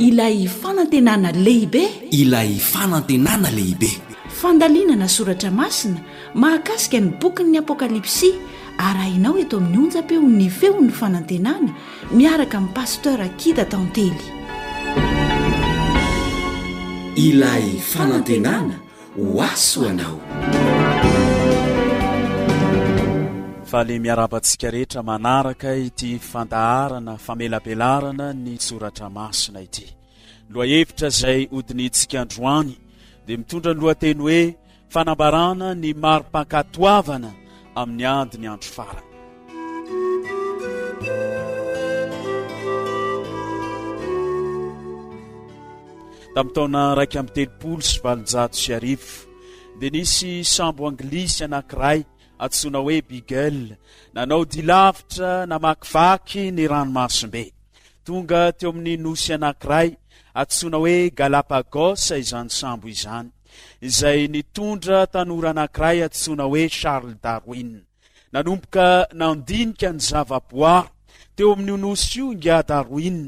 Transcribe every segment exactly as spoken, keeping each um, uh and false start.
Ilay fanantenana lehibe. Ilay fanantenana lehibe. Fandalinana soratra masina mahakasika ny bokin'ny Apokalypsy, arahinao eto amin'ny onjam-peon'ny Feon'ny Fanantenana miaraka amin'ny Pasteur Kida Tantely. Ilay fanantenana ho ahy ho anao. Faly miarahaba antsika rehetra manaraka ity fandaharana famelabelarana ny soratra masina ity. Lohahevitra izay hodinihintsika androany dia mitondra ny lohateny hoe fanambarana ny mari-pankatoavana amin'ny ady ny andro farany. Tamin'ny taona iraika amby telopolo sy valonjato sy arivo dia nisy sambo anglisy anankiray antsoina hoe Beagle nanao dia lavitra namakivaky ny ranomasimbe. Tonga teo amin'ny nosy anankiray antsoina hoe Galapagos izany sambo izany, izay nitondra tanora anankiray antsoina hoe Charles Darwin. Nanomboka nandinika ny zavaboary teo amin'io nosy io ingahy Darwin,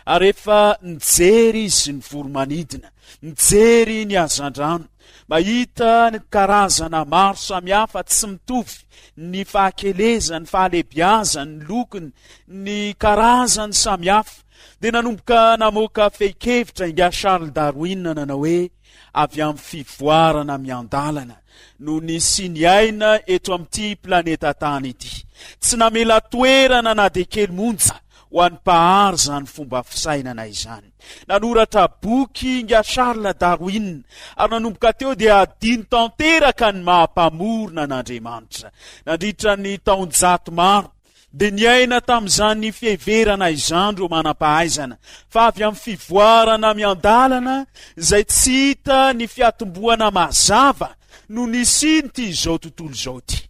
ary efa nijery izy ny voro-manidina, nijery ny hazandrano, mahita ny karazana maro samihafa tsy mitovy, ny fahakelezany, ny fahalehibiazany, ny lokony, ny karazany samihafa. Dia nanomboka namoaka fehin-kevitra ingahy Charles Darwin nanao hoe avy amin'ny fivoarana miandalana no nisian'ny aina eto amin'ity planeta tany ity. Tsy namela toerana na dia kely monja ho an'ny mpahary izany fomba fisainana izany. Nanoratra boky ingahy Charles Darwin ary nanomboka teo dia hadino tanteraka ny maha mpamorona an'Andriamanitra. Nandritra ny taonjato maro dia niaina tamin'izany fiheverana izany ireo manam-pahaizana fa avy amin'ny fivoarana miandalana izay tsy hita ny fiatombohana mazava no nisian'ity izao tontolo izao ity.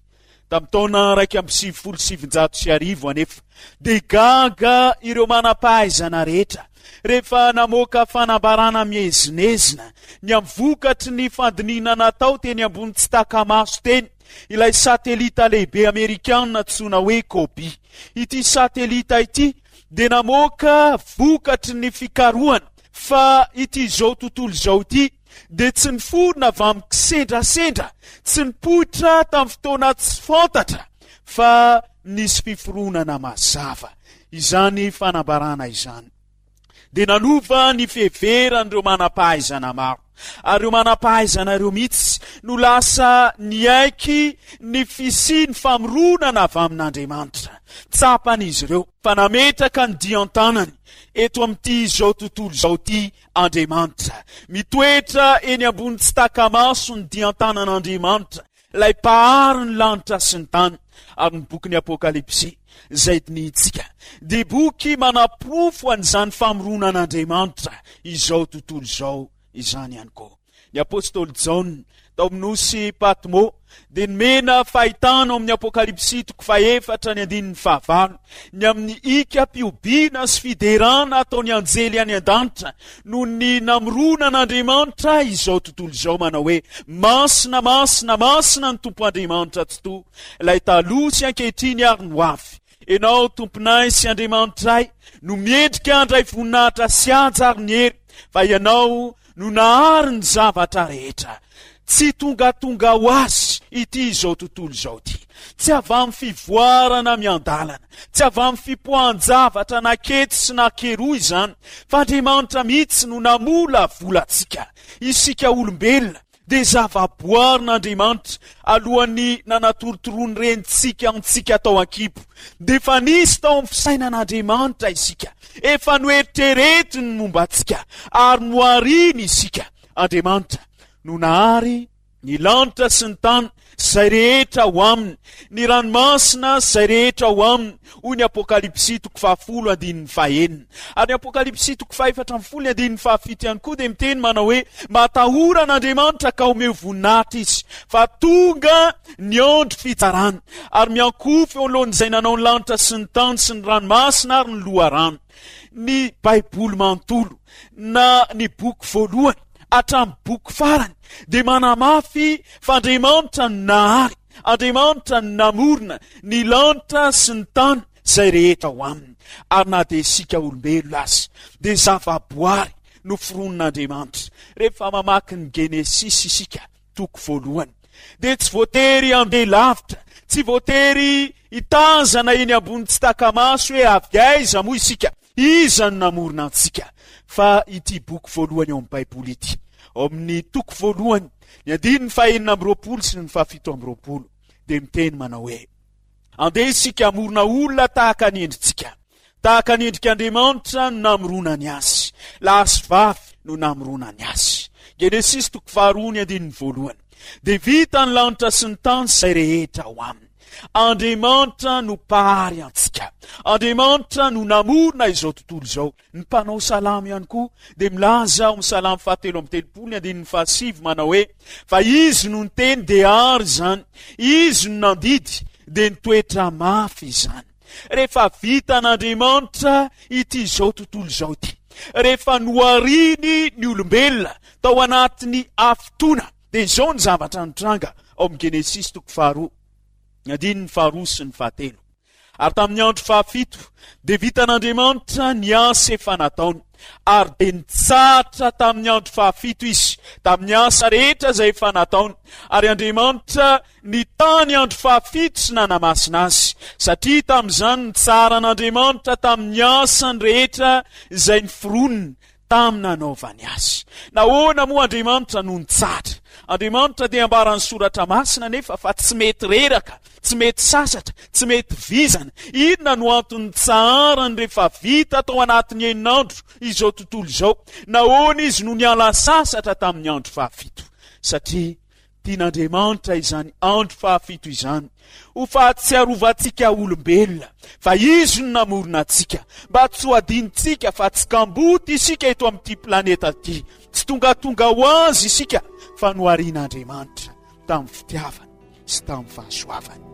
Tamin'ny taona iraika amby sivifolo sy sivinjato sy arivo anefa dia gaga ireo manam-pahaizana rehetra rehefa namoaka fanambarana miezinezina ny amin'ny vokatry ny fandinihina natao teny ambony tsy taka-maso teny ilay satelita lehibe amerikana antsoina hoe COBE. Ity satelita ity dia namoaka vokatry ny fikarohana fa ity izao tontolo izao ity dia tsy niforona avy amin'ny kisendrasendra, tsy nipoitra tamin'ny fotoana tsy fantatra fa nisy fiforonana mazava. Izany fanambarana izany dia nanova ny fiheveran'ireo manam-pahaizana maro. Ary ireo manam-pahaizana ireo mihitsy no lasa niaiky ny fisian'ny famoronana avy amin'Andriamanitra. Tsapan'izy ireo fa nametraka ny dian-tanany eto amin'ity izao tontolo izao ity Andriamanitra. Mitoetra eny ambony tsy taka-maso ny dian-tanan'Andriamanitra, ilay Mpahary ny lanitra sy ny tany. Ary ny bokin'ny Apokalypsy izay dinihintsika dia boky manaporofo an'izany famoronan'Andriamanitra izao tontolo izao izany ihany koa. Ny apostoly Jaona tao amin'ny nosy Patmo dia nomena fahitana ao amin'ny Apokalypsy toko fahefatra ny andininy fahavalo ny amin'ny hikam-pihobiana sy fiderana ataon'ny anjely any an-danitra noho ny namoronan'Andriamanitra izao tontolo izao manao hoe masina, masina, masina ny Tompo Andriamanitra Tsitoha, ilay taloha sy ankehitriny ary ny ho avy. Ianao Tomponay sy Andriamanitray no miendrika handray voninahitra sy haja ary ny hery, fa Ianao no nahary ny zavatra rehetra. Tsy tongatonga ho azy ity izao tontolo izao ity. Tsy avy amin'ny fivoarana miandalana, tsy avy amin'ny fipoahan-javatra na kety sy na keroa izany, fa Andriamanitra mihitsy no namolavola antsika. Isika olombelona dia zavaboarin'Andriamanitra alohan'ny nanatorotoroan'ny renintsika antsika tao an-kibo. Dia efa nisy tao amin'ny fisainan'Andriamanitra isika, efa noeritreretiny ny momba antsika ary nohariny isika. Andriamanitra no nahary ny lanitra sy ny tany sy izay rehetra ao aminy, ny ranomasina sy izay rehetra ao aminy, hoy ny Apokalypsy toko fahafolo andininy fahenina. Ary ny Apokalypsy toko fahefatra ambin'ny folo ny andininy fahafito ihany koa dia miteny manao hoe, Matahora an'Andriamanitra ka omeo voninahitra Izy, fa tonga ny andro fitsarana, ary miankohofa eo anoloan'izay nanao ny lanitra sy ny tany sy ny ranomasina ary ny loharano. Ny Baiboly manontolo, na ny boky voalohany hatramin'ny boky farany, dia manamafy fa Andriamanitra no nahary, Andriamanitra no namorona ny lanitra sy ny tany izay rehetra ao aminy. Ary na dia isika olombelona aza dia zavaboary noforonin'Andriamanitra. Rehefa mamaky ny Genesisy isika toko voalohany dia tsy voatery handeha lavitra, tsy voatery hitazana eny ambony tsy taka-maso hoe avy aiza moa isika, iza no namorona antsika. Fa ity boky voalohany ao amin'ny Baiboly ity, ao amin'ny toko voalohany, ny andininy fahenina amby roapolo sy ny fahafito amby roapolo, dia miteny manao hoe: andeha isika hamorona olona tahaka ny endritsika, tahaka ny endrik'Andriamanitra no namoronany azy, lahy sy vavy no namoronany azy. Genesisy toko faharoa ny andininy voalohany. Dia vita ny lanitra sy ny tany izay rehetra ao aminy. Andriamanitra no mpahary antsika. Andriamanitra no namorona izao tontolo izao. Ny mpanao salamo ihany koa dia milaza ao amin'ny salamo fahatelo amby telopolo ny andininy fahasivy manao hoe: fa izy no niteny dia ary izany, izy no nandidy dia nitoetra mafy izany. Rehefa vitan'Andriamanitra ity izao tontolo izao ity, rehefa nohariny ny olombelona tao anatin'ny hafitoana, dia izao ny zavatra nitranga ao amin'ny Genesisy toko faharoa, ny andininy faharoa sy ny fahatelo. Ary tamin'ny andro fahafito dia vitan'Andriamanitra ny asa efa nataony, ary dia nitsahatra tamin'ny andro fahafito izy tamin'ny asa rehetra izay efa nataony. Ary Andriamanitra nitany andro fahafito sy nanamasina azy, satria tamin'izany nitsaharan'Andriamanitra tamin'ny asany rehetra izay noforoniny tamin'ny nanaovany azy. Nahoana moa Andriamanitra no nitsahatra? Andriamanitra dia ambaran'ny soratra masina nefa fa tsy mety reraka, tsy mety sasatra, tsy mety vizana. Inona no antony nitsaharany rehefa vita tao anatin'ny enin'andro izao tontolo izao? Nahoana izy no niala sasatra tamin'ny andro fahafito? Satria tian'Andriamanitra izany andro fahafito izany ho fahatsiarovantsika olombelona fa izy no namorona antsika, mba tsy ho adinontsika fa tsy kamboty isika eto amin'ity planeta ity, tsy tongatonga ho azy isika fa noharian'Andriamanitra tamin'ny fitiavany sy tamin'ny fahasoavany.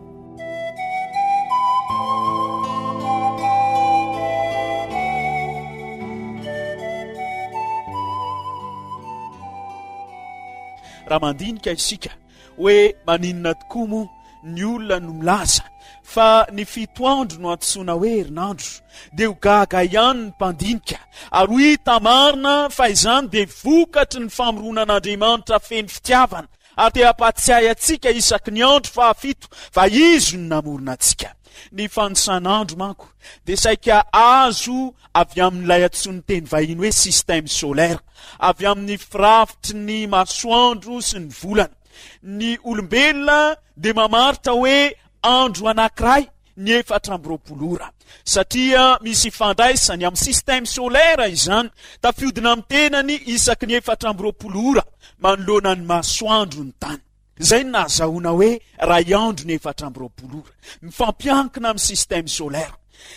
Raha mandinika isika hoe maninona tokoa moa ny olona no milaza fa ny fito andro no antsoina hoe herinandro, dia ho gaga ihany ny mpandinika ary ho hita marina fa izany dia vokatry ny famoronan'Andriamanitra feno fitiavana, ary te hampatsiahy antsika isaky ny andro fahafito fa izy no namorona antsika. Ny fanisan'andro manko dia saika azo avy amin'ilay antsoin'ny teny vahiny hoe système solaire, avy amin'ny firafitry ny masoandro sy ny volana. Ny olombelona dia mamaritra hoe andro anankiray ny efatra amby roapolo ora, satria misy ifandraisany amin'ny système solaire izany, tafiodina amin'ny tenany isaky ny efatra amby roapolo ora manoloana ny masoandro ny tany. Izay no nahazahoana hoe ray andro ny efatra amby roapolo ora, mifampiankina amin'ny système solaire.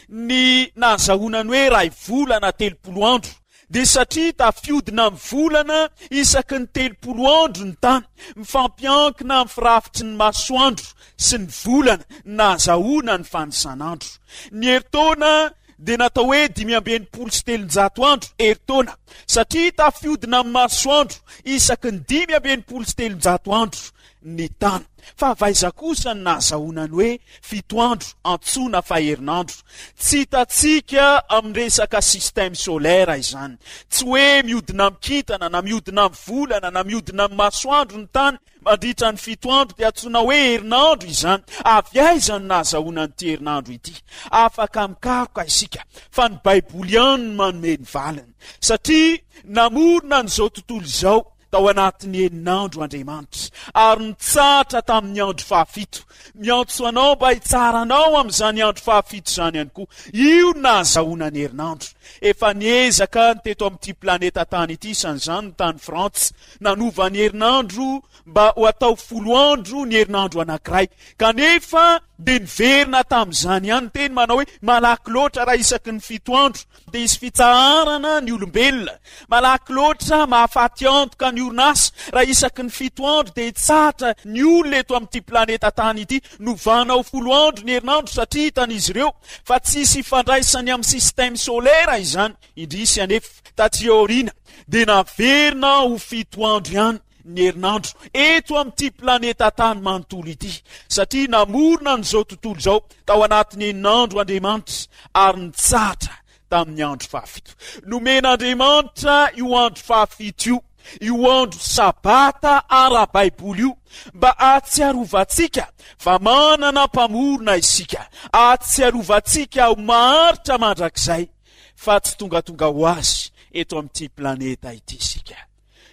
Ny nahazahoana ny hoe ray volana telopolo andro dia satria tafiodina amin'ny volana isaky ny telopolo andro ny tany, mifampiankina amin'ny firafitry ny masoandro sy ny volana nahazahoana ny fanisan'andro. Ny herintaona dia natao hoe dimy amby enimpolo sy telonjato andro herintaona, satria tafiodina amin'ny masoandro isaky ny dimy amby enimpolo sy telonjato andro ny tany. Fa avy aiza kosa no nahazahoana ny hoe fito andro antsoina fa herinandro? Tsy hitantsika amin'ny resaka système solaire izany. Tsy hoe mihodina amin'ny kintana na mihodina amin'ny volana na mihodina amin'ny masoandro ny tany mandritra ny fito andro dia antsoina hoe herinandro izany. Avy aiza no nahazahoana an'ity herinandro ity? Afaka mikaroka isika fa ny Baiboly ihany no manome ny valiny, satria namorona an'izao tontolo izao tao anatin'ny enin'andro Andriamanitra ary nitsahatra tamin'ny andro fahafito. Miantso anao mba hitsara anao amin'izany andro fahafito izany ihany koa. Io no nahazahoana ny herinandro. Efa niezaka ny teto amin'ity planeta tany ity, isan'izany ny tany Frantsa, nanova ny herinandro mba ho atao folo andro ny herinandro anankiray. Kanefa dia niverina tamin'izany ihany ny teny manao hoe malaky loatra raha isaky ny fito andro dia hisy fitsaharana ny olombelona. Malaky loatra mahafaty antoka ny orinasa raha isaky ny fito andro dia hitsahatra ny olona eto amin'ity planeta tany ity. Novana ho folo andro ny herinandro satria hitan'izy ireo fa tsy hisy ifandraisany amin'ny système solaire izany. Indrisy anefa, taty aoriana dia naverina ho fito andro ihany ny herinandro eto amin'ity planeta tany manontolo ity, satria namorona an'izao tontolo izao tao anatin'ny enin'andro Andriamanitra ary nitsahatra tamin'ny andro fahafito. Nomen'Andriamanitra io andro fahafito io, io andro sabata ara-baiboly io, mba hahatsiarovantsika fa manana mpamorona isika, hahatsiarovantsika ho maharitra mandrakizay fa tsy tongatonga ho azy eto amin'ity planeta ity isika.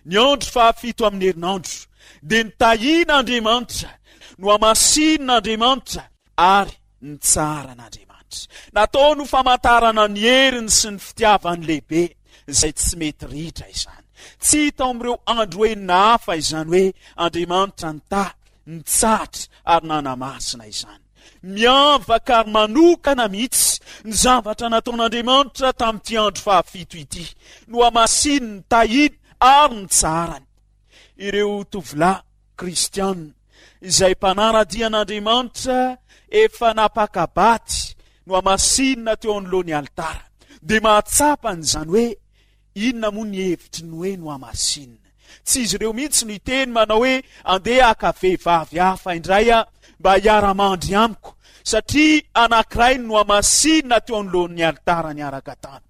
Ny andro fahafito amin'ny herinandro dia nitahian'Andriamanitra, nohamasinin'Andriamanitra ary nitsaharan'Andriamanitra. Nataony ho famantarana ny heriny sy ny fitiavany lehibe izay tsy mety ritra izany. Tsy hita ao amin'ireo andro enina hafa izany hoe Andriamanitra nitahy, nitsahatra ary nanamasina izany. Miavaka ary manokana mihitsy ny zavatra nataon'Andriamanitra tamin'ity andro fahafito ity. Nohamasininy, nitahiny ary nitsaharany. Ireo tovolahy kristiana izay mpanara-dia an'Andriamanitra efa napaka-baty nohamasinina teo anoloan'ny alitara dia mahatsapa an'izany hoe inona moa ny hevitry ny hoe nohamasinina. Tsy izy ireo mihitsy no hiteny manao hoe andeha haka vehivavy hafa indray aho mba hiara-mandry amiko, satria anankiray no nohamasinina teo anoloan'ny alitara niaraka taminy.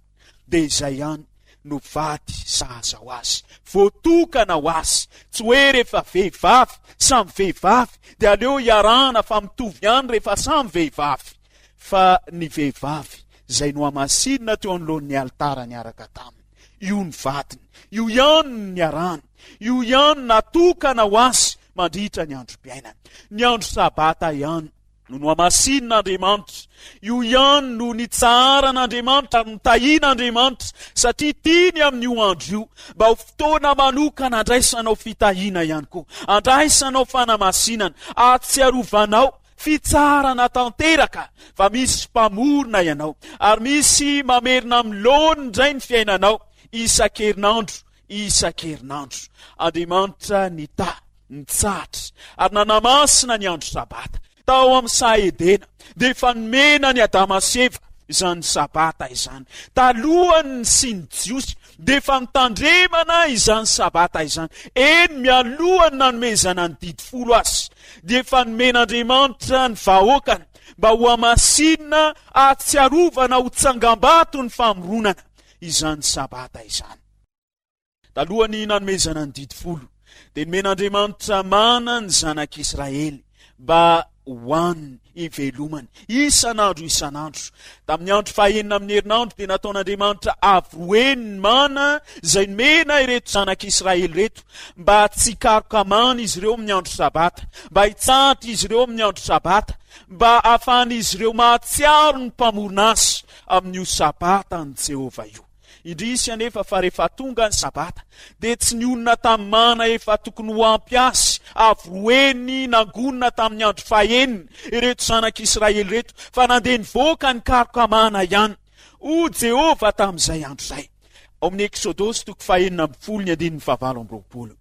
Dia izay ihany no vady sahaza ho azy, voatokana ho azy. Tsy hoe rehefa vehivavy samy vehivavy dia aleo hiarahana fa mitovy ihany rehefa samy vehivavy, fa ny vehivavy izay nohamasinina teo anoloan'ny alitara niaraka taminy, io ny vadiny, io ihany no niarahany, io ihany natokana ho azy mandritra ny androm-piainany. Ny andro sabata ihany no nohamasinin'Andriamanitra, io ihany no nitsaharan'Andriamanitra ary nitahian'Andriamanitra, satria tiany amin'io andro io mba ho fotoana manokana andraisanao fitahiana ihany koa, andraisanao fanamasinana, ahatsiarovanao fitsaharana tanteraka fa misy mpamorona ianao ary misy mamerina amin'ny laoniny indray ny fiainanao isan-kerinandro isan-kerinandro. Andriamanitra nitahy, nitsahatra ary nanamasina ny andro sabata. Tao amin'ny saha Edena dia efa nomena an'i Adama sy Eva izany sabata izany. Talohan'ny nisian'ny Jiosy dia efa nitandremana izany sabata izany. Eny, mialohan'ny nanomezana ny didy folo azy dia efa nomen'Andriamanitra ny vahoakany mba ho hamasinina hahatsiarovana ho tsangambato ny famoronana izany sabata izany. Talohan'ny nanomezana ny didy folo dia nomen'Andriamanitra mana ny zanak'Israely mba hohaniny, hivelomany isan'andro isan'andro. Tamin'ny andro fahenina amin'ny herinandro dia nataon'Andriamanitra avo roa heny ny mana izay nomena ireto zanak'Israely ireto mba tsy hikaroka mana izy ireo amin'ny andro sabata, mba hitsahatra izy ireo amin'ny andro sabata, mba hahafahan'izy ireo mahatsiaro ny mpamorona azy amin'io sabatan'i Jehovah io. Indrisy anefa fa rehefa tonga ny sabata dia tsy nionona tamin'ny mana efa tokony ho ampy azy avo roa heny nangonina tamin'ny andro fahenina ireto zanak'Israely ireto fa nandeha nivoaka nikaroka mana ihany. Hoy Jehovah tamin'izay andro izay. Ao amin'ny Eksodosy toko fahenina ambin'ny folo ny andininy fahavalo amby roapolo.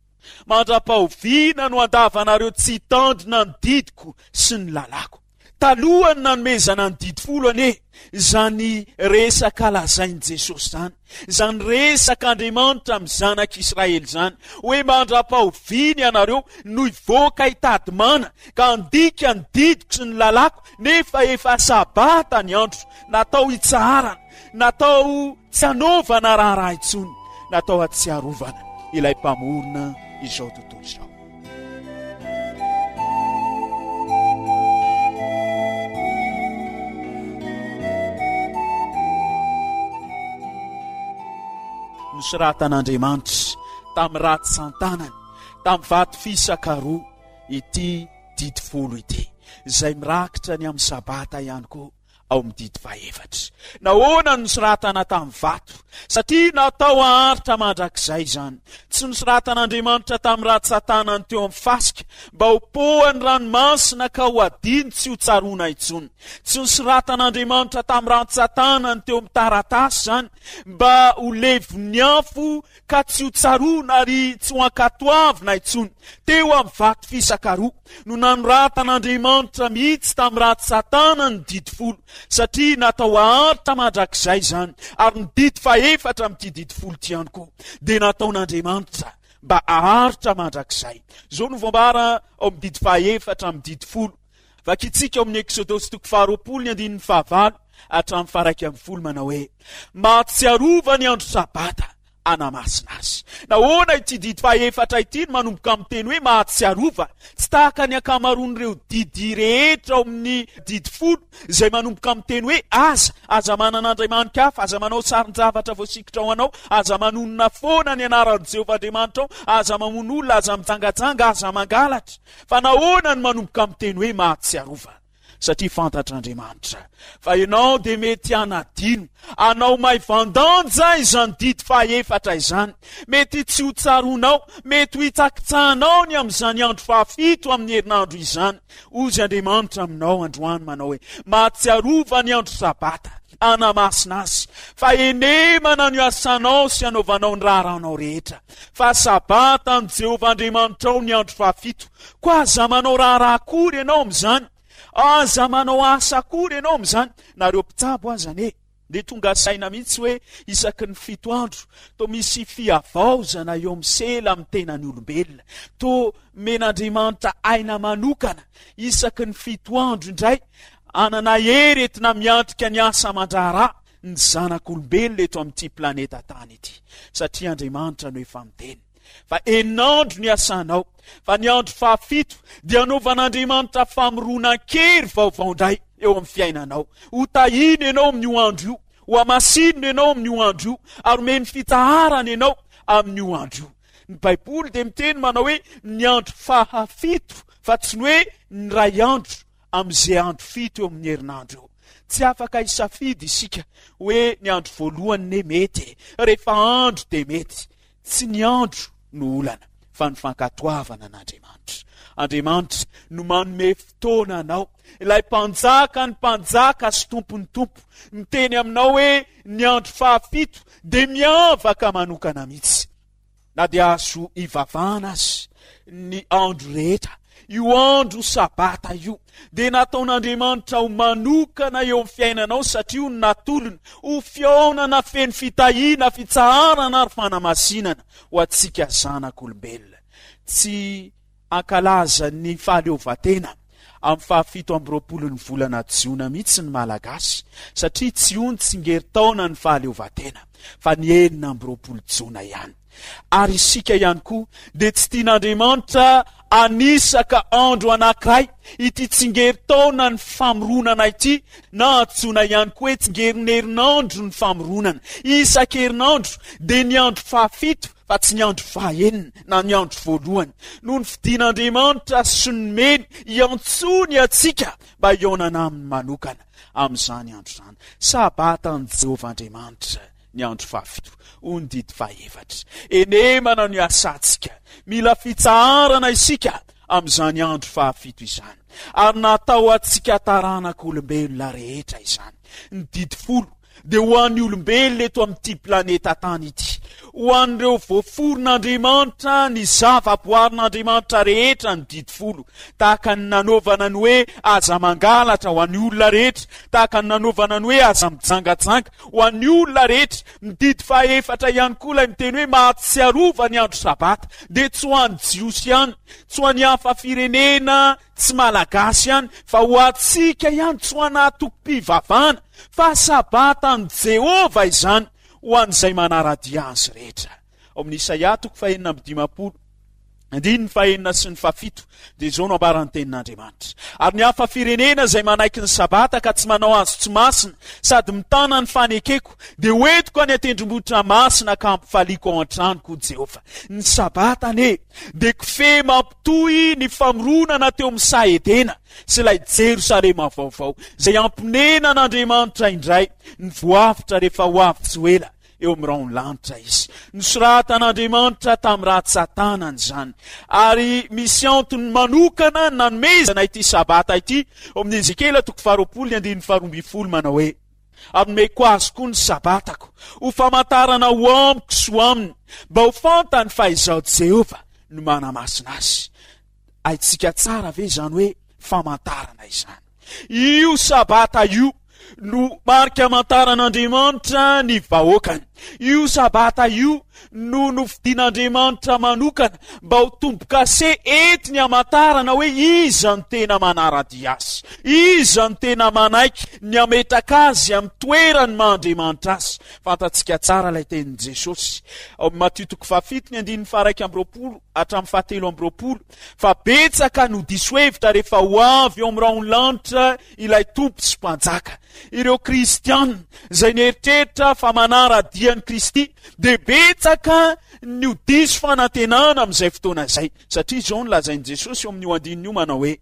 Mandra-pahoviana no handavanareo tsy hitandrina ny didiko sy ny lalàko? Talohan'ny nanomezana ny didy folo anie izany resaka lazain'i Jesosy izany, izany resaka Andriamanitra amin'ny zanak'Israely izany, hoe mandra-pahoviana ianareo no hivoaka hitady mana ka handika ny didiko sy ny lalàko, nefa efa sabata ny andro, natao hitsaharana, natao tsy hanaovana raharaha intsony, natao hatsiarovana ilay Mpamorona izao tontolo izao. Nosoratan'Andriamanitra tamin'ny ratsan-tanany, tamin'ny vato fisaka roa ity didy folo ity, izay mirakitra ny amin'ny Sabata ihany koa. ao amin'ny didy fahefatra. Nahoana no nosoratana tamin'ny vato? Satria natao haharitra mandrakizay izany. Tsy nosoratan'Andriamanitra tamin'ny ratsan-tanany teo amin'ny fasika mba ho pohan'ny ranomasina ka ho hadino tsy ho tsaroana intsony. Tsy nosoratan'Andriamanitra tamin'ny rantsan-tanany teo amin'ny taratasy izany mba ho levon'ny afo ka tsy ho tsaroana ary tsy ho ankatoavina intsony. Teo amin'ny vato fisaka roa no nanoratan'Andriamanitra mihitsy tamin'ny ratsy Satana ny didy folo, satria natao haharitra mandrakizay izany, ary ny didy fahefatra amin'ity didy folo ity ihany koa dia nataon'Andriamanitra mba haharitra mandrakizay. Izao no voambara ao amin'ny didy fahaefatra amin'ny didy folo. Vakintsika ao amin'ny Eksodosy toko faharoapolo ny andininy fahavalo hatramin'ny faharaika ambin'ny folo manao hoe: Mahatsiarova ny andro Sabata hanamasina azy. Nahoana ity didy fahaefatra ity no manomboka amin'ny teny hoe mahatsiarova? Tsy tahaka ny ankamaroan'ireo didy rehetra ao amin'ny didy folo izay manomboka amin'ny teny hoe aza, aza manana andriamani-kafa, aza manao sarin-javatra voasikotra ho anao, aza manonona foana ny anaran'i Jehovah Andriamanitrao, aza mamono olona, aza mijangajanga, aza mangalatra. Fa nahoana no manomboka amin'ny teny hoe mahatsiarova? Satria fantatr'Andriamanitra fa ianao dia mety hanadino, hanao maivan-danja izany didy fahaefatra izany. Mety tsy ho tsaroanao, mety ho hitsakitsahanao ny amin'izany andro fahafito amin'ny herinandro izany. Hozy Andriamanitra aminao androany manao hoe, mahatsiarova ny andro Sabata, hanamasina azy, fa henemana ny asanao sy hanaovanao ny raharahanao rehetra. Fa Sabata an'i Jehovah Andriamanitrao ny andro fahafito, koa aza manao raharaha akory ianao amin'izany, aza manao asa akory ianao amin'izany. Nareo mpitsabo aza anie dia tonga saina mihitsy hoe isaky ny fito andro toa misy fihavaozana eo amin'ny sela amin'ny tenan'ny olombelona, toa omen'Andriamanitra aina manokana isaky ny fito andro indray hanana hery entina miatrika ny asa aman-draharaha ny zanak'olombelona eto amin'ity planeta tany ity, satria Andriamanitra no efa miteny fa enin'andro ny asanao, fa ny andro fahafito dia anaovan'Andriamanitra famoronan-kery vaovao indray eo amin'ny fiainanao. Ho tahiny ianao amin'io andro io, ho hamasinina ianao amin'io andro io, ary omeny fitsaharana ianao amin'io andro io. Ny Baiboly dia miteny manao hoe ny andro fahafito, fa tsy ny hoe ny iray andro amin'izay andro fito eo amin'ny herinandro eo. Tsy afaka hisafidy isika hoe ny andro voalohany ne mety e, rehefa andro dia mety. Tsy ny andro no olana, fa ny fankatoavana an'Andriamanitra. Andriamanitra no manome fotoana anao, ilay mpanjaka ny mpanjaka sy tompon'ny tompo, miteny aminao hoe ny andro fahafito dia miavaka manokana mihitsy. Na dia azo ivavahana aza ny andro rehetra, io andro Sabata io dia nataon'Andriamanitra ho manokana eo amin'ny fiainanao, satria io no natolony ho fihaonana feno fitahiana, fitsaharana ary fanamasinana ho antsika zanak'olombelona. Tsy hankalaza ny fahaleovantena amin'ny fahafito amby roapolo ny volana Jiona mihitsy ny Malagasy, satria tsy io ny tsingerin-taona ny fahaleovantena, fa ny enina amby roapolo Jona ihany. Ary isika ihany koa dia tsy tian'Andriamanitra hanisaka andro anankiray ity tsingerin-taona ny famoronana ity, na antsoina ihany koa hoe tsingerin'herinandro ny famoronana. Isan-kerinandro dia ny andro fahafito, fa tsy ny andro fahenina na ny andro voalohany, no nofidin'Andriamanitra sy nomeny hiantsoany antsika mba hihaonana aminy manokana amin'izany andro izany. Sabatan'i Jehovah Andriamanitra ny andro fahafito, hoy ny didy fahefatra. Henemana no iasantsika. Mila fitsaharana isika amin'izany andro fahafito izany. Ary natao antsika taranak'olombelona rehetra izany. Ny didy folo dia ho an'ny olombelona eto amin'ity planeta tany ity, ho an'ireo voaforon'Andriamanitra, ny zavaboarin'Andriamanitra rehetra ny didy folo, tahaka ny nanaovana ny hoe aza mangalatra ho an'ny olona rehetra, tahaka ny nanaovana ny hoe aza mijangajanga ho an'ny olona rehetra. Ny didy fahaefatra ihany koa ilay miteny hoe mahatsiarova ny andro Sabata, dia tsy ho an'ny Jiosy ihany, tsy ho an'ny hafa firenena, tsy Malagasy ihany, fa ho antsika ihany, tsy ho an'antokom-pivavahana, fa Sabatan'i Jehovah izany ho an'izay manara-dia azy rehetra. Ao amin'ny Isaia toko fahenina amby dimampolo, andininy fahenina sy ny fahafito, dia izao no ambaran'ny tenin'Andriamanitra. Ary ny hafa firenena izay manaiky ny Sabata ka tsy manao azy tsy masina, sady mitana ny fanekeko, dia hoentiko any an-tendrombohitra masina ka hampifaliako ao an-tranoko, hoy Jehovah. Ny Sabata anie dia kofehy mampitohy ny famoronana teo amin'ny saha Edena sy ilay Jerosalema vaovao, izay hamponenan'Andriamanitra indray ny voavotra rehefa ho avy tsy ho ela eo amin'ny rahon'ny lanitra izy. Nosoratan'Andriamanitra tamin'ny ratsan-tanany izany, ary misy antony manokana nanomezana ity Sabata ity ao amin'ny Ezekiela toko faharoapolo ny andininy faharoa ambin'ny folo manao hoe, Ary nomeko azy koa ny Sabatako, ho famantarana ho amiko sy ho aminy, mba ho fantany fa Izaho Jehovah no manamasina azy. Haintsika tsara ve izany hoe famantarana izany? Io Sabata io no marika amantaran'Andriamanitra ny vahoakany. Io Sabata io no nofidin'Andriamanitra manokana mba ho tombo-kase entiny hamantarana hoe iza no tena manara-dia azy, iza no tena manaiky ny hametraka azy amin'ny toerany maha Andriamanitra azy. Fantatsika tsara ilay tenin'i Jesosy ao amin'ny Matio toko fahafito ny andininy faharaika amby roapolo hatramin'ny fahatelo amby roapolo fa betsaka no diso hevitra rehefa ho avy eo amin'ny rahon'ny lanitra ilay Tompo sy Mpanjaka. Ireo Kristiana izay nieritreritra fa manara-dia an'i Kristy dia betsaka ny ho diso fanantenana amin'izay fotoana izay, satria izao no lazain'i Jesosy eo amin'io andininy io manao hoe: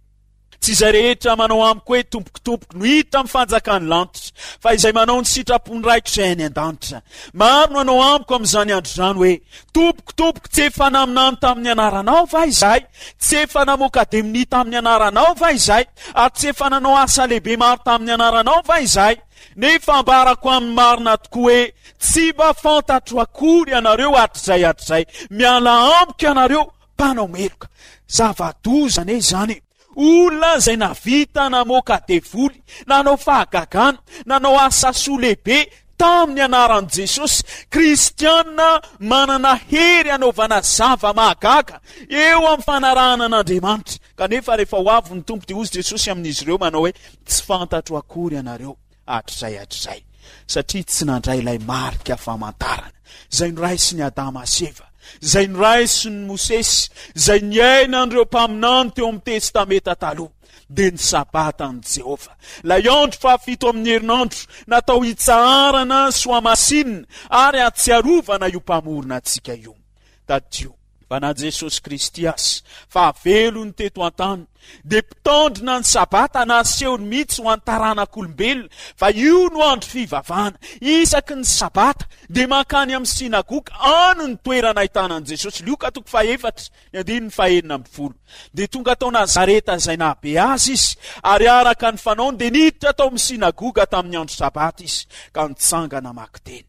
Tsy izay rehetra manao amiko hoe Tompoko, Tompoko no hiditra amin'ny fanjakan'ny lanitra, fa izay manao ny sitrapon'ny Raiko izay any an-danitra. Maro no hanao amiko amin'izany andro izany hoe, Tompoko, Tompoko, tsy efa naminany tamin'ny anaranao va izahay? Tsy efa namoaka demonia tamin'ny anaranao va izahay? Ary tsy efa nanao asa lehibe maro tamin'ny anaranao va izahay? Nefa ambarako amin'ny marina tokoa hoe, tsy mba fantatro akory ianareo hatrizay hatrizay. Miala amiko ianareo, mpanao meloka. Zava-doza anie izany e! Olona izay nahavita namoaka devoly, nanao fahagagana, nanao asa soa lehibe tamin'ny anaran'i Jesosy. Kristiana manana hery hanaovana zava-mahagaga eo amin'ny fanarahana an'Andriamanitra. Kanefa rehefa ho avy ny Tompo dia hozy Jesosy amin'izy ireo manao hoe, tsy fantatro akory ianareo hatrizay hatrizay, satria tsy nandray ilay marika famantarana izay noraisin'i Adama sy Eva, izay noraisin'i Mosesy, izay niainan'ireo mpaminany teo amin'ny Testamenta Taloha, dia ny Sabatan'i Jehovah, ilay andro fahafito amin'ny herinandro natao hitsaharana sy hohamasinina ary hahatsiarovana io Mpamorona antsika io. Tadidio fa na Jesosy Kristy aza, fahavelony teto an-tany, dia mpitandrina ny Sabata nasehony mihitsy ho an'ny taranak'olombelona fa io no andro fivavahana. Isaky ny Sabata dia mankany amin'ny synagoga, any ny toerana ahitana an'i Jesosy. Lioka toko fahefatra, ny andininy fahenina ambin'ny folo. Dia tonga tao Nazareta izay nahabe azy izy, ary araka ny fanaony dia niditra tao amin'ny synagoga tamin'ny andro Sabata izy, ka nitsangana namaky teny.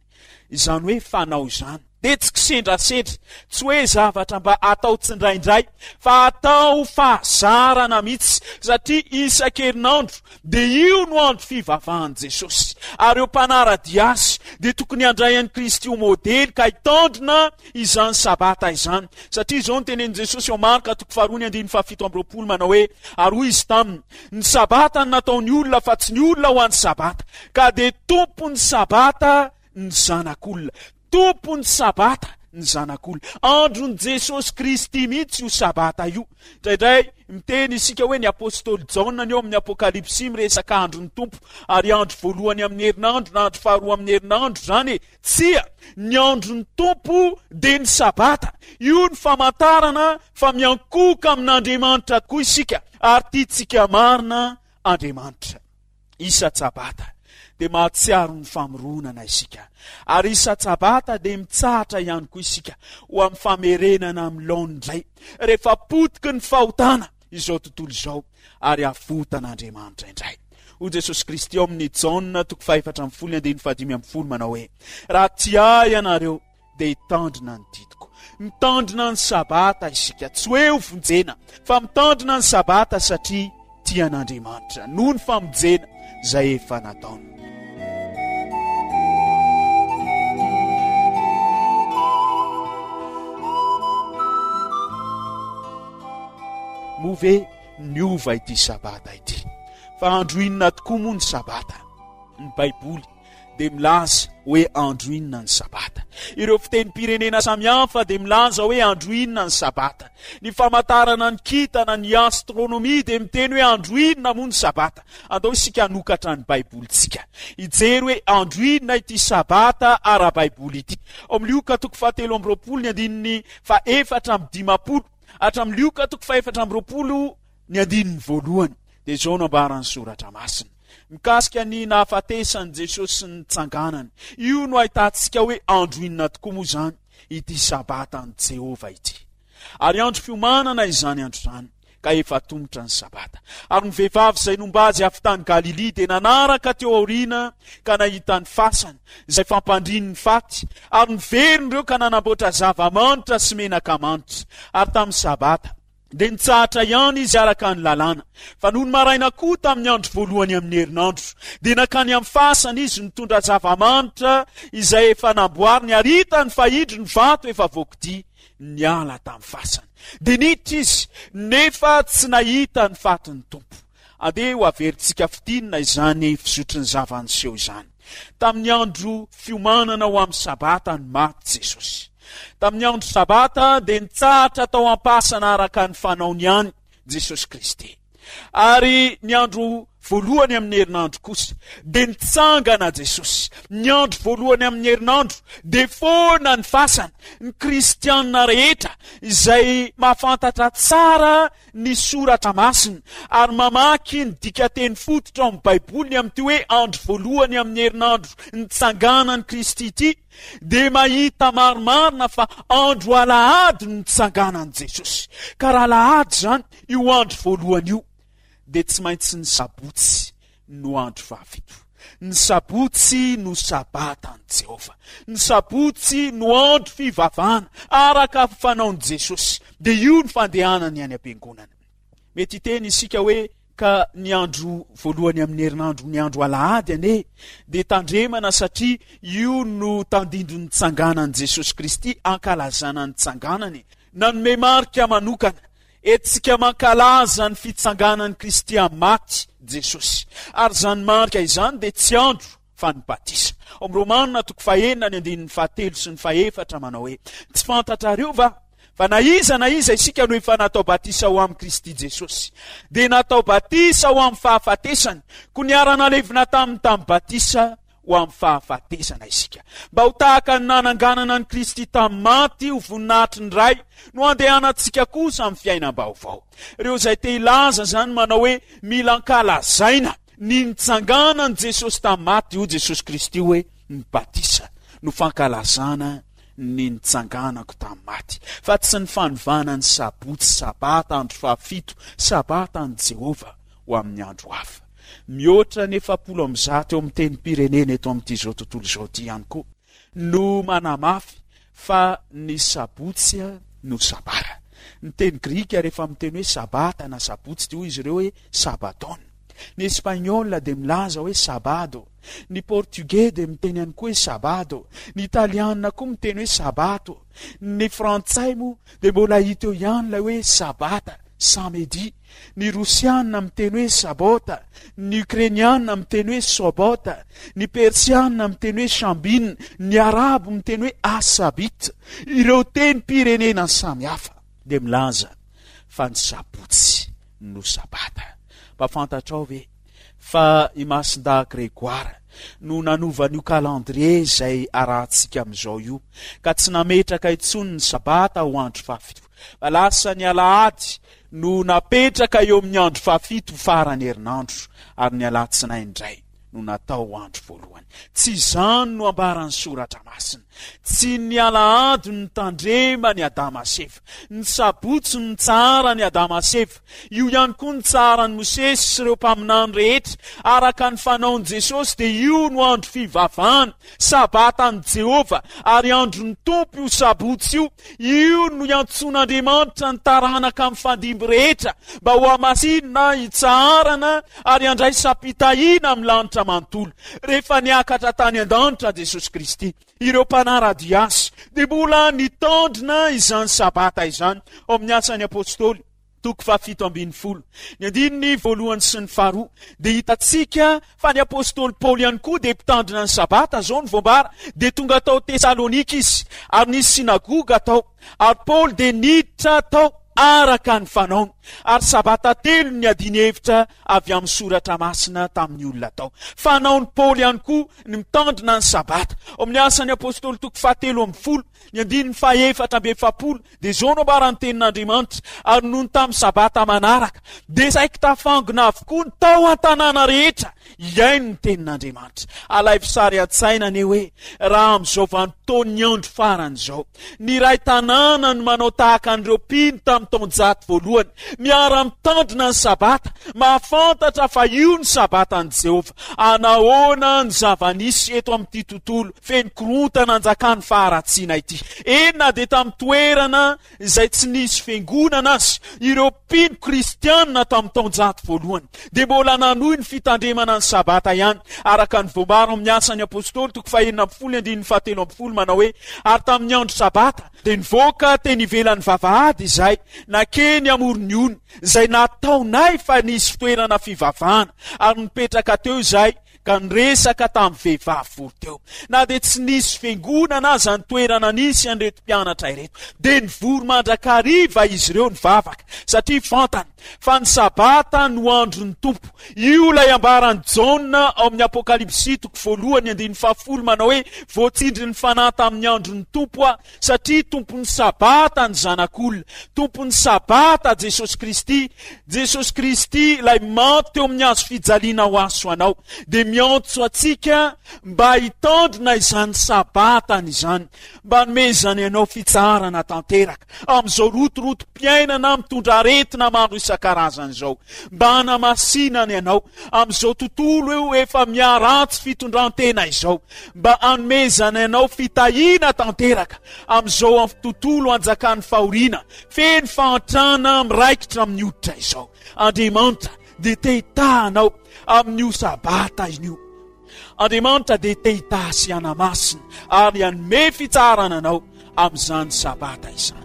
Izany hoe fanao izany dia tsy kisendrasendra, tsy hoe zavatra mba atao tsindraindray, fa atao fahazarana mihitsy, satria isan-kerinandro dia io no andro fivavahan'i Jesosy. Ary ireo mpanara-dia azy dia tokony handray an'i Kristy ho modely ka hitandrina izany Sabata izany. Satria izao no tenenin'i Jesosy ao Marka toko faharoa ny andininy fahafito amby roapolo manao hoe, Ary hoy izy taminy, Ny Sabata no nataon'ny olona fa tsy ny olona ho an'ny Sabata, ka dia tompon'ny Sabata ny Zanak'olona. Tompon'ny Sabata ny Zanak'olona. Andron'i Jesosy Kristy mihitsy io Sabata io. Indraindray miteny isika hoe ny apostoly Jaona ny eo amin'ny Apokalypsy miresaka andron'ny Tompo, ary andro voalohany amin'ny herinandro na andro faharoa amin'ny herinandro izany e. Tsia, ny andron'ny Tompo dia ny Sabata. Io ny famantarana fa miankohoka amin'Andriamanitra tokoa isika ary tiantsika marina Andriamanitra. Isa-tsabata dia mahatsiaro ny famoronana isika, ary isa-tsabata dia mitsahatra ihany koa isika ho amin'ny famerenana amin'ny laoniny indray rehefa potiky ny fahotana izao tontolo izao ary avotan'Andriamanitra indray. Hoy Jesosy Kristy ao amin'ny Jaona toko fahefatra ambin'ny folo ny andininy fahadimy ambin'ny folo manao hoe, Raha tia ahy ianareo dia hitandrina ny didiko. Mitandrina ny Sabata isika, tsy hoe ho vonjena, fa mitandrina ny Sabata satria tia an'Andriamanitra noho ny famonjena izay efa nataony. Moa ve niova ity Sabata ity? Fa andro inona tokoa moa ny Sabata? Ny Baiboly dia milaza hoe andro inona ny Sabata. Ireo fitenim-pirenena samihafa dia milaza hoe andro inona ny Sabata. Ny famantarana ny kintana, ny astronomia dia miteny hoe andro inona moa ny Sabata. Andao isika hanokatra ny Baibolintsika, hijery hoe andro inona ity Sabata ara-baiboly ity. Ao amin'ny Lioka toko fahatelo amby roapolo ny andininy fahefatra amby dimampolo hatramin'ny Lioka toko fahefatra amby roapolo ny andininy voalohany dia izao no ambaran'ny Soratra Masina mikasika ny nahafatesan'i Jesosy sy ny nitsanganany. Io no ahitantsika hoe andro inona tokoa moa izany ity Sabatan'i Jehovah ity. Ary andro fiomanana izany andro izany, ka efa atomotra ny Sabata. Ary ny vehivavy izay nomba azy avy tany Galilia dia nanaraka teo aoriana ka nahita ny fasany, izay fampandriany ny faty, ary niverina ireo ka nanamboatra zava-manitra sy menaka manitra. Ary tamin'ny Sabata, dia nitsahatra ihany izy araka ny lalàna. Fa nony maraina koa tamin'ny andro voalohany amin'ny herinandro, dia nankany amin'ny fasana izy nitondra zava-manitra izay efa namboariny, ary hitany fa indro ny vato efa voakodia niala tamin'ny fasana. Dia niditra izy, nefa tsy nahita ny fatin'ny Tompo. Andeha ho averintsika fintinina izany fizotry ny zava-niseho izany. Tamin'ny andro fiomanana ho amin'ny Sabata no maty Jesosy. Tamin'ny andro Sabata dia nitsahatra tao am-pasana araka ny fanaony ihany Jesosy Kristy. Ary ny andro voalohany amin'ny herinandro kosa dia nitsangana Jesosy. Ny andro voalohany amin'ny herinandro dia foana ny fasana. Ny kristianina rehetra izay mahafantatra tsara ny soratra masina ary mamaky ny dikateny fototra ao amin'ny Baiboly ny amin'ity hoe andro voalohany amin'ny herinandro nitsanganan'i Kristy ity dia mahita marimarina fa andro alahady no nitsanganan'i Jesosy. Ka raha alahady izany io andro voalohany io dia tsy maintsy ny sabotsy no andro fahafito. Ny sabotsy no sabatan'i Jehovah. Ny sabotsy no andro fivavahana araka ny fanaon'i Jesosy. Dia io ny fandehanany any am-piangonana. Mety hiteny isika hoe ka ny andro voalohany amin'ny herinandro, ny andro alahady anie, dia tandremana satria io no tandindon'ny tsanganan'i Jesosy Kristy, ankalazana ny tsanganany. Nanome marika manokana Entintsika mankalaza ny fitsanganan'i Kristy amin'ny maty Jesosy. Ary izany marika izany dia tsy andro fa ny batisa. Ao amin'ny Romana toko fahenina ny andininy fahatelo sy ny fahefatra manao hoe, Tsy fantatrareo va fa na iza na iza isika no efa natao batisa ho amin'i Kristy Jesosy, dia natao batisa ho amin'ny fahafatesany, koa niara-nalevina taminy tamin'ny batisa ho amin'ny fahafatesana isika. Mba ho tahaka ny nananganana an'i Kristy tamin'ny maty ho voninahitry ny Ray no andehanantsika kosa amin'ny fiainam-baovao. Ireo izay te hilaza izany manao hoe mila ankalazaina ny nitsanganan'i Jesosy tamin'ny maty, hoy Jesosy Kristy hoe ny batisa no fankalazana ny nitsanganako tamin'ny maty, fa tsy ny fanovana ny sabotsy, sabata, andro fahafito, sabata an'i Jehovah ho amin'ny andro hafa. Mihoatra ny efapolo amby zato eo amin'ny tenim-pirenena eto amin'ity izao tontolo izao ity ihany koa no manamafy fa ny sabotsy no sabata. Ny teny grika rehefa miteny hoe sabata na sabotsy dia hoy izy ireo hoe sabaton. Ny espaniola dia milaza hoe sabado. Ny portugais dia miteny ihany koa hoe sabado. Ny italiana koa miteny hoe sabato. Ny frantsay moa dia mbola hita eo ihany ilay hoe sabata, samedi. Ny Rosiana miteny hoe Sabota, ny Ukrainiana miteny hoe Sobota, ny Persiana miteny hoe Shambin, ny Arabo miteny hoe Asabit. Ireo tenim-pirenena samy hafa dia milaza fa ny sabotsy no Sabata. Mba fantatrao ve fa i Masindahy Grégoire no nanova an'io calendrier izay arahantsika amin'izao io, ka tsy nametraka intsony ny Sabata ho andro fahafito, fa lasa ny alahady no napetraka eo amin'ny andro fahafito farany herinandro, ary ny alatsinainy indray no natao ho andro voalohany. Tsy izany no ambaran'ny Soratra Masina. Tsy ny alahady no nitandreman'i Adama sy Eva. Ny sabotsy no nitsaharan'i Adama sy Eva. Io ihany koa no nitsaharan'i Mosesy sy ireo mpaminany rehetra. Araka ny fanaon'i Jesosy dia io no andro fivavahana, Sabatan'i Jehovah, ary andron'ny Tompo io sabotsy io. Io no iantsoan'Andriamanitra ny taranaka mifandimby rehetra mba hohamasinina, hitsaharana ary handraisam-pitahiana amin'ny lanitra manontolo. Rehefa niakatra tany an-danitra Jesosy Kristy, ireo mpanara-dia Azy dia mbola nitandrina izany Sabata izany. Ao amin'ny Asan'ny Apostoly, toko fahafito ambin'ny folo, ny andininy voalohany sy ny faharoa, dia hitantsika fa ny apostoly Paoly ihany koa dia mpitandrina ny Sabata, izao no voambara, dia tonga tao Tesalonika izy, ary nisy synagoga tao, ary Paoly dia niditra tao araka ny fanaony, ary Sabata telo no niadiany hevitra avy amin'ny Soratra Masina tamin'ny olona tao. Fanaon'i Paoly ihany koa ny mitandrina ny Sabata. Ao amin'ny Asan'ny Apostoly toko fahatelo ambin'ny folo, ny andininy fahefatra amby efapolo, Dia izao no ambaran'ny tenin'Andriamanitra, Ary nony tamin'ny Sabata manaraka, dia saiky tafangona avokoa ny tao an-tanàna rehetra hihaino ny tenin'Andriamanitra. Alaivo sary an-tsaina anie hoe raha amin'izao vanim-potoan'ny andro farany izao, ny iray tanàna no manao tahaka an'ireo mpino tamin'ny tamin'ny taonjato voalohany, miara-mitandrina ny Sabata, mahafantatra fa io ny Sabatan'i Jehovah. Anahoana ny zava-nisy eto amin'ity tontolo feno korontana anjakan'ny faharatsiana ity? Eny, na dia tamin'ny toerana izay tsy nisy fiangonana aza, ireo mpino kristianina tamin'ny taonjato voalohany dia mbola nanohy ny fitandremana ny Sabata ihany, araka ny voambara ao amin'ny Asan'ny Apostoly toko fahenina ambin'ny folo andininy fahatelo ambin'ny folo manao hoe: ary tamin'ny andro Sabata dia nivoaka teny ivelan'ny vavahady izay nakeny amoron'ny ony, izay nataonay fa nisy fitoerana fivavahana, ary nipetraka teo izay ka niresaka tamin'ny vehivavy vory teo. Na dia tsy nisy fiangonana aza ny toerana nisy an'ireto mpianatra ireto, dia nivory mandrakariva izy ireo nivavaka, satria fantany fa ny Sabata no andron'ny Tompo. Io ilay ambaran'i Jaona ao amin'ny Apokalypsy toko voalohany andininy fahafolo manao hoe: voatsindrin'ny Fanahy tamin'ny andron'ny Tompo aho, satria Tompon'ny Sabata ny Zanak'olona. Tompon'ny Sabata Jesosy Kristy. Jesosy Kristy ilay maty teo amin'ny hazo fijaliana ho aso anao, dia miantso antsika mba hitandrina izany Sabatany izany, mba hanomezany anao fitsaharana tanteraka amin'izao rotorotom-piainana mitondra aretina maro isan-karazany izao, mba hanamasinany anao amin'izao tontolo eo efa miharatsy fitondran-tena izao, mba hanomezany anao fitahiana tanteraka amin'izao tontolo anjakan'ny fahoriana feno fahantrana miraikitra amin'ny hoditra izao. Andriamanitra dia te hitaha anao amin'io Sabata io. Andriamanitra dia te hitaha sy hanamasina ary hanome fitsaharana anao amin'izany Sabata izany.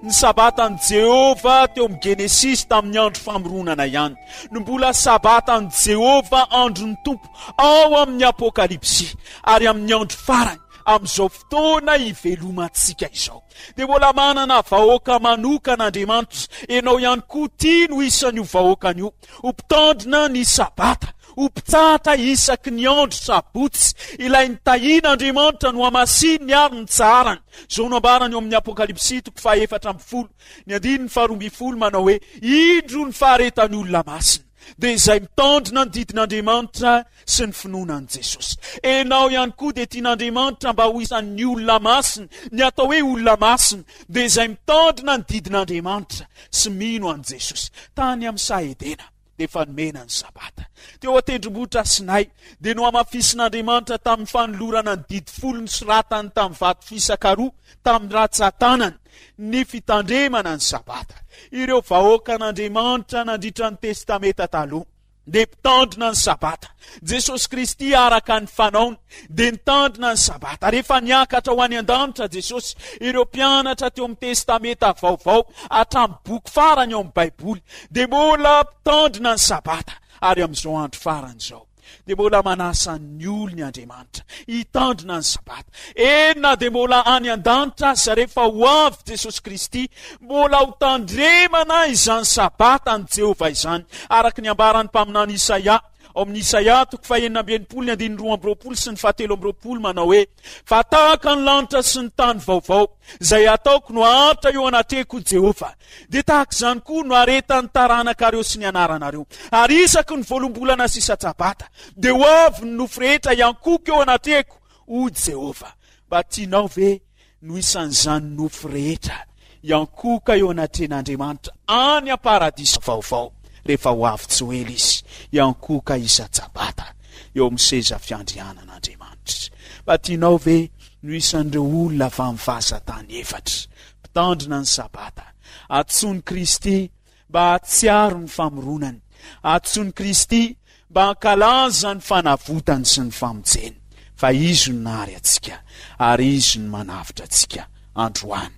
Ny Sabatan'i Jehovah teo amin'ny Genesisy tamin'ny andro famoronana ihany no mbola Sabatan'i Jehovah andron'ny Tompo ao amin'ny Apokalypsy, ary amin'ny andro farany amin'izao fotoana ivelomantsika izao dia mbola manana vahoaka manokana Andriamanitra. Ianao ihany koa tiany ho isan'io vahoakany io, ho mpitandrina ny Sabata, ho mpitsahatra isaky ny andro sabotsy. Ilay nitahian'Andriamanitra no hamasininy ary ny tsaharany. Izao no ambarany eo amin'ny Apokalypsy toko fahaefatra ambin'ny folo ny andininy faharoa ambin'ny folo manao hoe: indro ny faharetan'ny olona masina, dia izay mitandrina ny didin'Andriamanitra sy ny finoana an'i Jesosy. Ianao ihany koa dia tian'Andriamanitra mba ho isan'ny olona masina. Ny atao hoe olona masina dia izay mitandrina ny didin'Andriamanitra sy mino an'i Jesosy. Tany amin'ny saha Edena dia efa nomena ny Sabata. Teo an-tendrombohitra Sinay dia nohamafisin'Andriamanitra tamin'ny fanolorana ny didy folo nosoratany tamin'ny vato fisaka roa tamin'ny ratsan-tanany ny fitandremana ny Sabata. Ireo vahoakan'Andriamanitra nandritra ny Testamenta Taloha dia mpitandrina ny Sabata. Jesosy Kristy araka ny fanaony dia nitandrina ny Sabata. Rehefa niakatra ho any an-danitra Jesosy, ireo mpianatra teo amin'ny Testamenta Vaovao hatramin'ny boky farany ao amin'ny Baiboly dia mbola mpitandrina ny Sabata. Ary amin'izao andro farany izao dia mbola manasa ny olony Andriamanitra hitandrina ny Sabata. Eny, na dia mbola any an-danitra aza rehefa ho avy Jesosy Kristy, mbola ho tandremana izany Sabatan'i Jehovah izany, araka ny ambaran'ny mpaminany Isaia ao amin'ny Isaia toko fahenina amby enimpolo ny andininy roa amby roapolo sy ny fahatelo amby roapolo manao hoe: fa tahaka ny lanitra sy ny tany vaovao izay ataoko no haharitra eo anatrehako Jehovah, dia tahaka izany koa no haretan'ny taranakareo sy ny anaranareo. Ary isaky ny voaloham-bolana sy isa-tsabata dia ho avy ny nofo rehetra hiankohoka eo anatrehako, hoy Jehovah. Mba tianao ve no isan'izany nofo rehetra hiankohoka eo anatrehan'Andriamanitra any am-paradisa vaovao rehefa ho avy tsy ho ela izy hiankohoka isa-tsabata eo amin'ny seza fiandrianan'Andriamanitra? Mba tianao ve no isan'ireo olona avy amin'ny vazan-tany efatra mpitandrina ny Sabata, antsoin'i Kristy mba hahatsiaro ny famoronany, antsoin'i Kristy mba hankalaza ny fanavotany sy ny famonjeny, fa Izy no nahary antsika ary Izy no manavotra antsika androany.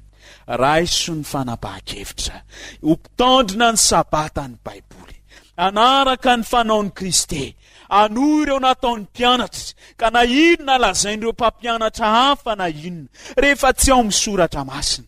Raiso ny fanapahan-kevitra ho mpitandrina ny Sabata ny Baiboly, hanaraka ny fanaon'i Kristy, hanohy ireo nataon'ny mpianatra, ka na inona lazain'ireo mpampianatra hafa na inona, rehefa tsy ao amin'ny Soratra Masina,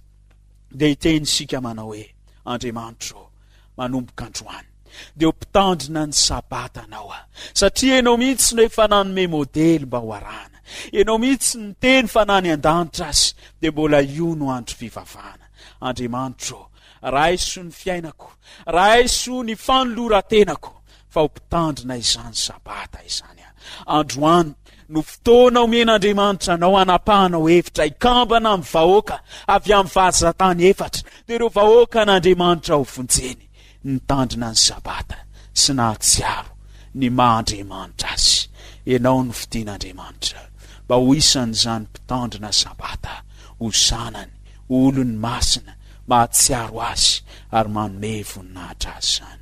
dia hiteny isika manao hoe: Andriamanitro, manomboka androany dia ho mpitandrina ny Sabatanao aho, satria Ianao mihitsy no efa nanome modely mba ho arahana. Ianao mihitsy no niteny fa na any an-danitra aza dia mbola io no andro fivavahana. Andriamanitro, Raiso ny fiainako, raiso ny fanoloran-tenako, fa ho mpitandrina izany Sabata izany aho. Androany no fotoana omen'Andriamanitra anao hanapahanao hevitra hikambana amin'ny vahoaka avy amin'ny vazan-tany efatra, dia ireo vahoakan'Andriamanitra ho vonjeny, nitandrina ny Sabata sy nahatsiaro ny maha Andriamanitra azy. Ianao no fidin'Andriamanitra mba ho isan'izany mpitandrina Sabata, ho zanany, ho olony masina, mahatsiaro azy ary manome voninahitra azy izany.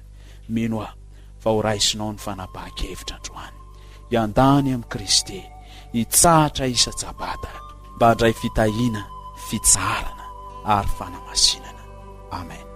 Mino aho fa ho raisinao ny fanapahan-kevitra androany, hiandany amin'i Kristy, hitsahatra isa-tsabata mba handray fitahiana, fitsaharana ary fanamasinana. Amen.